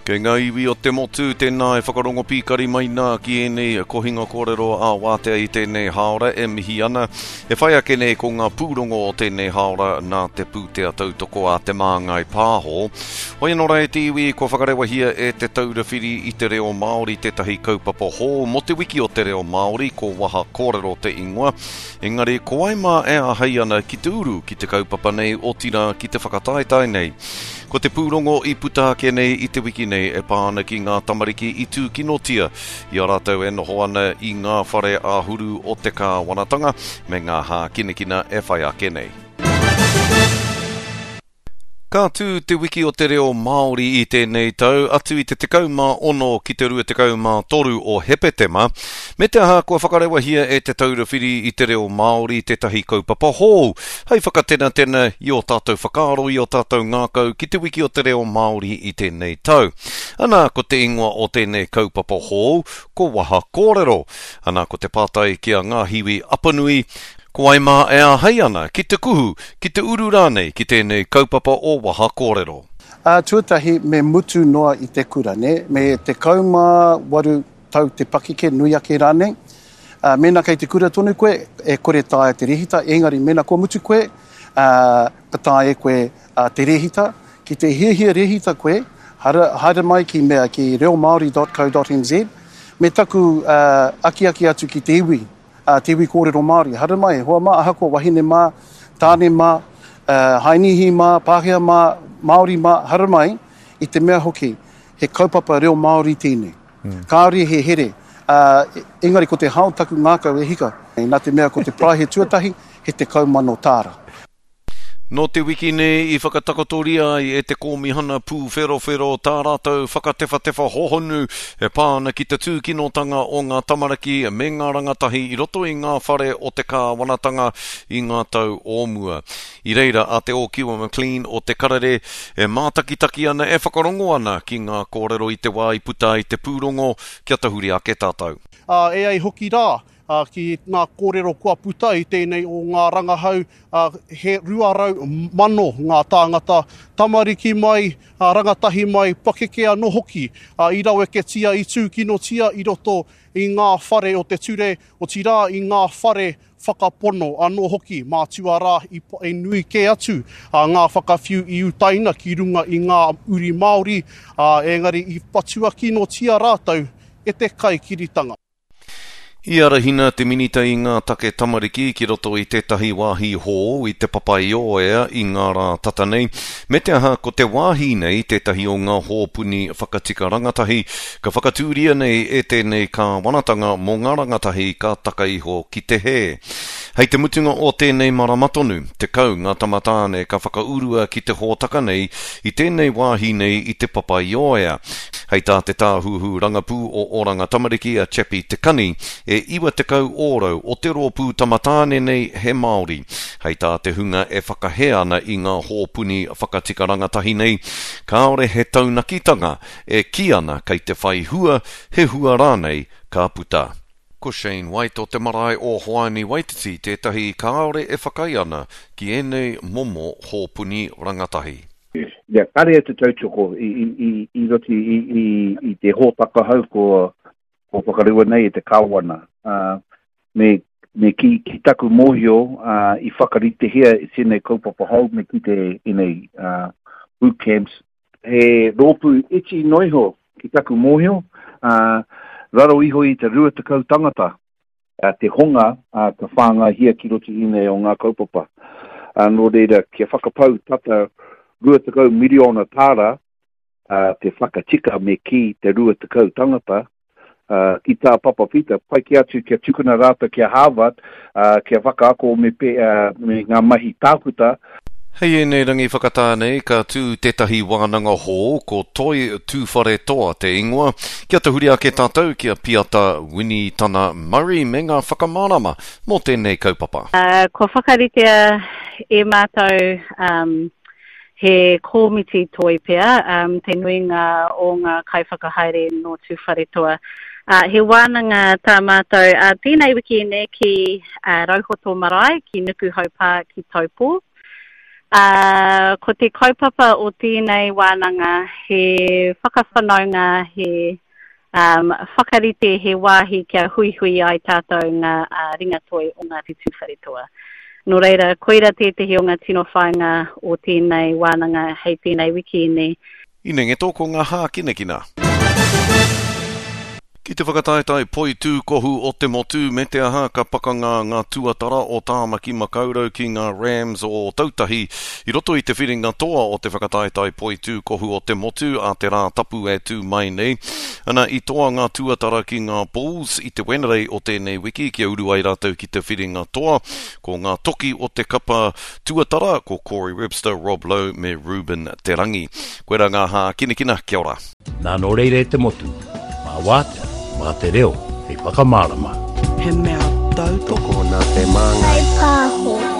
Kei ngā iwi o te motu, tēnā e whakarongo pīkari mai nā ki ēnei kohinga kōrero ā-wātea i tēnei hāora e mihi ana. E whai ake nei ko ngā pūrongo o tēnei hāora nā te pūtea tautoko a Te Māngai Pāho. Hoi anō rā e te iwi, kua whakarewahia e Te Taura Whiri i te Reo Māori tētahi kaupapa hou mō te wiki o te reo Māori, ko Waha Kōrero te ingoa. Engari, ko wai mā e āhei ana ki te uru ki te kaupapa nei, otirā ki te whakataetae nei? Ko te pūrongo i puta ake nei i te wiki nei e pā ana ki ngā tamariki i tūkinotia i a rātou e noho ana i ngā whare āhuru o te kāwanatanga me ngā hākinakina e whai ake nei. Ka tū Te Wiki o te Reo Māori i tēnei tau, atu i te 16 ki te 23 o Hepetema, me te aha kua whakarewahia e Te Taura Whiri i te Reo Māori tētahi kaupapa hou hei whakatenatena i ō tātou whakaaro, i ō tātou ngākau ki Te Wiki o te Reo Māori i tēnei tau. Ana, ko te ingoa o tēnei kaupapa hou, ko Waha Kōrero. Ana, ko te pātai ki a Ngāhiwi Apanui, Ko wai mā e āhei ana ki te kuhu, ki te uru rānei ki tēnei kaupapa o Waha Kōrero? Ā, tuatahi me mutu noa i te kura, nē, me 18 tau te pakeke, nui ake rānei. Ā, mēnā kei te kura tonu koe, e kore taea te rēhita, engari mēnā kua mutu koe, ā, ka taea e koe te rēhita. Ki te hiahia rēhita koe, haere, haere mai ki mea, ki reomaori.co.nz, me taku akiaki atu ki te iwi, a te iwi kōrero Māori. Haere mai, hoa mā, ahakoa wahine mā, tāne mā, Hainīhi mā, Pākehā mā, Māori mā, haere mai, i te mea hoki, he kaupapa reo Māori tēnei. Mm. Kāore he here, uh, engari ko te hao taku ngākau e hika, nā te mea ko te paraihe tuatahi, he 10,000 tāra. Nō te wiki nei i whakatakotoria ai e te Kōmihana Pūwherowhero tā rātou whakatewhatewha hohonu e pā ana ki te tūkinotanga o ngā tamariki me ngā rangatahi i roto i ngā whare o te kāwanatanga i ngā tau o mua. I reira a Te Ōkiwa McLean o Te Karere e mātakitaki ana, e whakarongo ana ki ngā kōrero i te wā i puta ai te pūrongo kia tahuri ake tātou. Ā, e ai hoki rā, ā, ki ngā kōrero kua puta i tēnei o ngā rangahau, ā, he 200,000 ngā tāngata, tamariki mai, ā, rangatahi mai, pakeke anō hoki, ā, i raweketia, i tūkinotia i roto i ngā whare o te ture, otirā i ngā whare whakapono anō hoki, mātua rā i, i nui kē atu ā, ngā whakawhiu i utaina ki runga i ngā uri Māori, ā, engari i patua kinotia rātou e te kaikiritanga. I arahina te Minita i ngā Take Tamariki ki roto i tētahi wāhi hou i Te Papaioea i ngā rā tata nei, me te aha ko te wāhi nei tētahi o ngā hōpuni whakatika rangatahi ka whakatūria nei e tēnei kāwanatanga mō ngā rangatahi ka taka iho ki te hē. Hei te mutunga o tēnei marama tonu, 10 ngā tama tāne ka whakaurua ki te hōtaka nei i tēnei wāhi nei i Te Papaioea. Hei tā te Tāhuhu Rangapū o Oranga Tamariki a Chappie Te Kani, e 90 ōrau o te rōpū tamatāne nei he Māori. Hei tā te hunga e whakahē ana i ngā hōpuni whakatika rangatahi nei, kāore he taunakitanga e kī ana kei te whai hua, he hua rānei ka puta. Ko Shane White o te marae o Hoani Waititi tētahi kāore e whakaae ana ki ēnei momo hōpuni rangatahi. Ia, kare te tautoko i, i, i, i roto i, i, i te hōtaka hou ko, ko whakarewa nei e te kāwana. Uh, me, me ki, ki taku mōhio uh, i whakaritehia i tēnei kaupapa hou me ki te ēnei uh, boot camps. He rōpū iti noiho ki taku mōhio, uh, raro iho i te 20 tangata te honga ka whāngaihia ki roto i ēnei o ngā kaupapa. Nō reira, kia whakapau tata 20 miriona tāra te whakatika me kī te 20 tangata, ki tā Papa Pita, pai kē atu kia tukuna rātou ki a Harvard kia whakaako me ngā mahi tākuta. Hei ēnei rangi whakatā nei ka tū tētahi wānanga hou, ko Toi Tūwharetoa te ingoa. Kia tahuri ake tātou ki a Piata Winitana Murray me ngā whakamārama mō tēnei kaupapa. Kua whakaritea e mātou he kōmiti toi pea, te nuinga o ngā kaiwhakahaere nō Tūwharetoa. He wānanga tā mātou tēnei wiki nei ki Rauhoto Marae, ki Nukuhau Pā, ki Taupō. Ā, ko te kaupapa o tēnei wānanga he whakawhanaunga, he um, whakarite he wāhi kia huihui ai tātou ngā uh, ringatoi o Ngāti Tūwharetoa. Nō reira, koira tētehi o ngā tino whāinga o tēnei wānanga hei tēnei wikīni. Inengeto ko ngā hākinakina. Ki te whakataetae poitūkohu o te motu me te aha ka pakanga ngā tuatara o Tāmaki Makaurau ki ngā Rams o Ōtautahi i roto i te whiringa toa o te whakataetae poitūkohu o te motu a te Rātapu e tū mai nei. Ana i toa ngā tuatara ki ngā Bulls i te Wenerei o tēnei wiki kia uru ai rātou ki te whiringa toa. Ko ngā toki o te kapa tuatara ko Corey Webster, Rob Loe me Reuben Te Rangi. Koira ngā hākinakina, kia ora. Nā nō reira e te motu, mā wātea, mā te reo hei whakamārama. He mea tautoko. Tokona te māngai. Whai pāho.